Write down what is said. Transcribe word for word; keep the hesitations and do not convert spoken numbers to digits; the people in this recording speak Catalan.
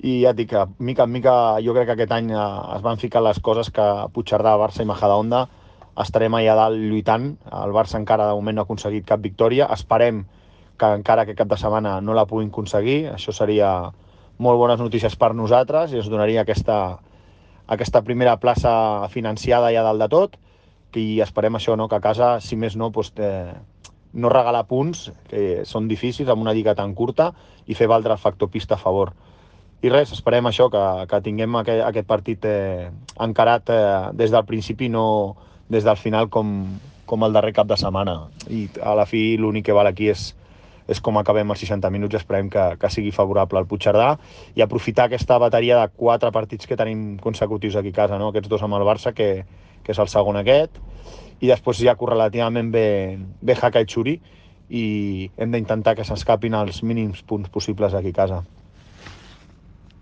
i ja et dic que mica en mica jo crec que aquest any eh, es van ficar les coses que Puigcerdà, Barça i Majadahonda estarem allà dalt lluitant. El Barça encara de moment no ha aconseguit cap victòria, esperem que encara aquest cap de setmana no la puguin aconseguir, això seria molt bones notícies per nosaltres i ens donaria aquesta, aquesta primera plaça financiada ja dalt de tot, i esperem això, no? Que a casa, si més no, doncs, eh, no regalar punts, que són difícils amb una lliga tan curta, i fer valdre el factor pista a favor. I res, esperem això, que, que tinguem aquest, aquest partit eh, encarat eh, des del principi, no des del final com, com el darrer cap de setmana. I a la fi l'únic que val aquí és, és com acabem els seixanta minuts, i esperem que, que sigui favorable al Puigcerdà i aprofitar aquesta bateria de quatre partits que tenim consecutius aquí a casa, no? Aquests dos amb el Barça, que, que és el segon aquest, i després ja correlativament bé, bé Jaca i Xuri, i hem d'intentar que s'escapin els mínims punts possibles aquí a casa.